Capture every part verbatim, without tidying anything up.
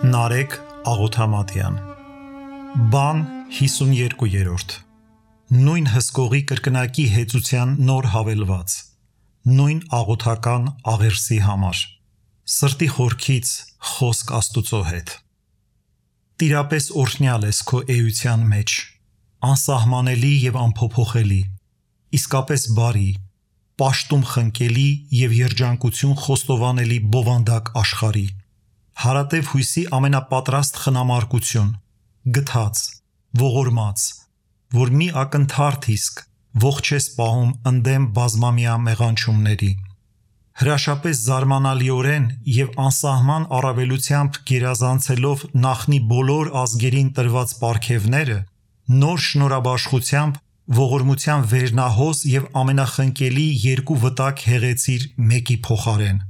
Նարեկ Աղոթամատյան Բան հիսուներկուերորդ Նույն հսկողի կրկնակի հեծության նոր հավելված Նույն աղոթական աղերսի համար Սրտի խորքից խոսք Աստուծո հետ Տիրապես օրհնյալ ես քո էության մեջ Անսահմանելի և անփոփոխելի Իսկապես բարի Պաշտում խնկելի և երջանկություն խոստովանելի բովանդակ աշխարհի Հարատև հույսի ամենապատրաստ խնամարկություն, գթած, ողորմած, որ մի ակնթարթ իսկ, ողջ ես պահում ընդդեմ բազմամյա մեղանչումների, հրաշապես զարմանալիորեն և անսահման առավելությամբ գերազանցելով նախնի բոլոր ազգերին տրված պարգևները, նոր շնորհաբաշխությամբ, ողորմության վերնահոս և ամենախնկելի երկու վտակ հեղեցիր մեկի փոխարեն,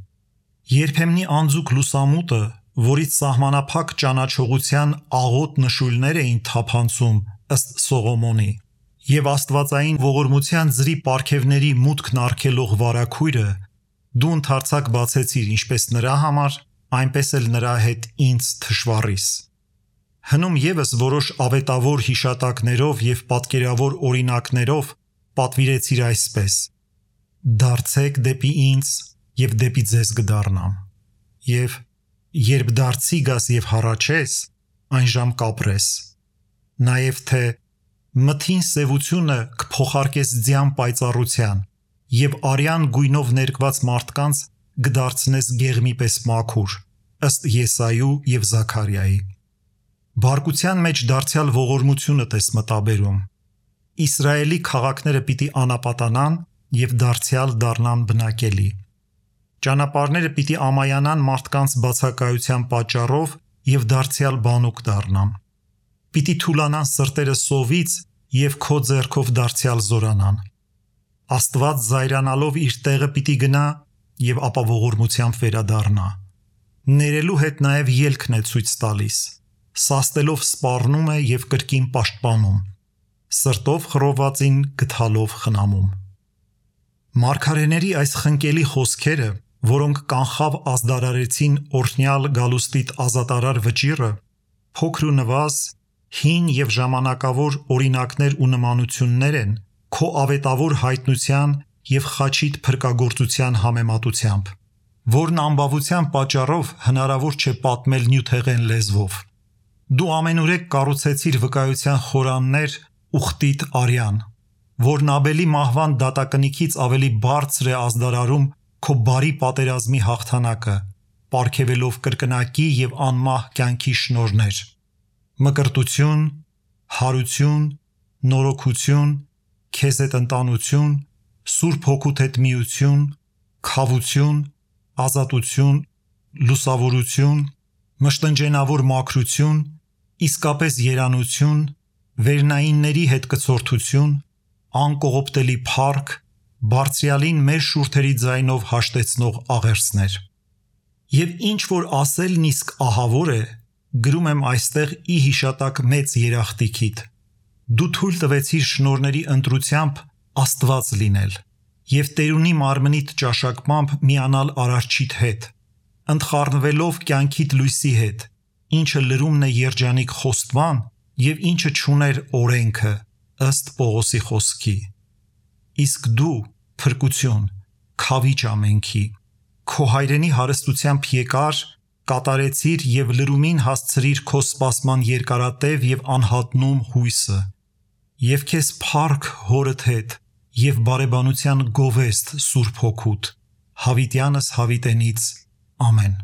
երբեմնի անձուկ լուսամուտը, որից սահմանափակ ճանաչողության աղոտ նշույլներ էին թափանցում ըստ Սողոմոնի, և աստվածային ողորմության ձրի պարգևների մուտքն արգելող վարագույրը, դու ընդարձակ բացեցիր ինչպես նրա համար, այնպես էլ նրա հետ ինձ թշվառիս։ Հնում ևս որոշ ավետավոր հիշատակներով և պատկերավոր օրինակներով պատվիրեցիր այսպես. «Դարձեք դեպի ինձ և դեպի ձեզ կդառնամ» և «Երբ դարձի գաս և հառաչես, այնժամ կապրես», նաև թե «Մթին սևությունը կփոխարկես ձյան պայծառության և արյան գույնով ներկված մարդկանց կդարձնես գեղմի պես մաքուր» ըստ Եսայու և Զաքարիայի։ Բարկության մեջ դարձյալ ողորմությունդ ես մտաբերում։ Իսրայելի քաղաքները պիտի անապատանան և դարձյալ դառնան բնակելի։ Ճանապարհները պիտի ամայանան մարդկանց բացակայության պատճառով և դարձյալ բանուկ դառնան։ Պիտի թուլանան սրտերը սովից և քո ձեռքով դարձյալ զորանան։ Աստված զայրանալով իր տեղը պիտի գնա և ապա ողորմությամբ վերադառնա։ Ներելու հետ նաև ելքն է ցույց տալիս, սաստելով սպառնում է և կրկին պաշտպանում, սրտով խռովվածին գթալով խնամում։ Մարգարեների այս խնկելի խոսքերը, որոնք կանխավ ազդարարեցին օրհնյալ գալուստիդ ազատարար վճիռը, փոքր ու նվազ, հին և ժամանակավոր օրինակներ ու նմանություններ են քո ավետավոր հայտնության և խաչիդ փրկագործության համեմատությամբ, որն անբավության պատճառով հնարավոր չէ պատմել նյութեղեն լեզվով։ Դու ամենուրեք կառուցեցիր վկայության խորաններ ուխտիդ արյան, որն Աբելի մահվան դատակնիքից ավելի բարձր է ազդարարում քո բարի պատերազմի հաղթանակը, պարգևելով կրկնակի և անմահ կյանքի շնորհներ, մկրտություն, հարություն, նորոգություն, քեզ հետ ընտանություն, Սուրբ Հոգուդ հետ միություն, քավություն, ազատություն, լուսավորություն, մշտնջենավոր մաքրություն, իսկապես երանություն, վերնայինների հետ կցորդություն, անկողոպտելի փառք, Բարձրյալին մեր շուրթերի ձայնով հաշտեցնող աղերսներ։ Եվ ինչ որ ասելն իսկ ահավոր է, գրում եմ այստեղ ի հիշատակ մեծ երախտիքիդ։ Դու թույլ տվեցիր շնորհների ընտրությամբ Աստված լինել և տերունի մարմնիդ ճաշակմամբ միանալ Արարչիդ հետ, ընդխառնվելով կյանքիդ լույսի հետ, ինչը լրումն է երջանիկ խոստման և ինչը չուներ օրենքը, ըստ Պողոսի խոսքի։ Իսկ դու, փրկություն, քավիճ ամենքի, քո հայրենի հարստությամբ եկար, կատարեցիր և լրումին հասցրիր քո սպասման երկարատև և անհատնում հույսը, և քեզ փառք հորդ հետ և բարեբանության գովեստ Սուրբ Հոգուդ, հավիտյանս հավիտենից, ամեն։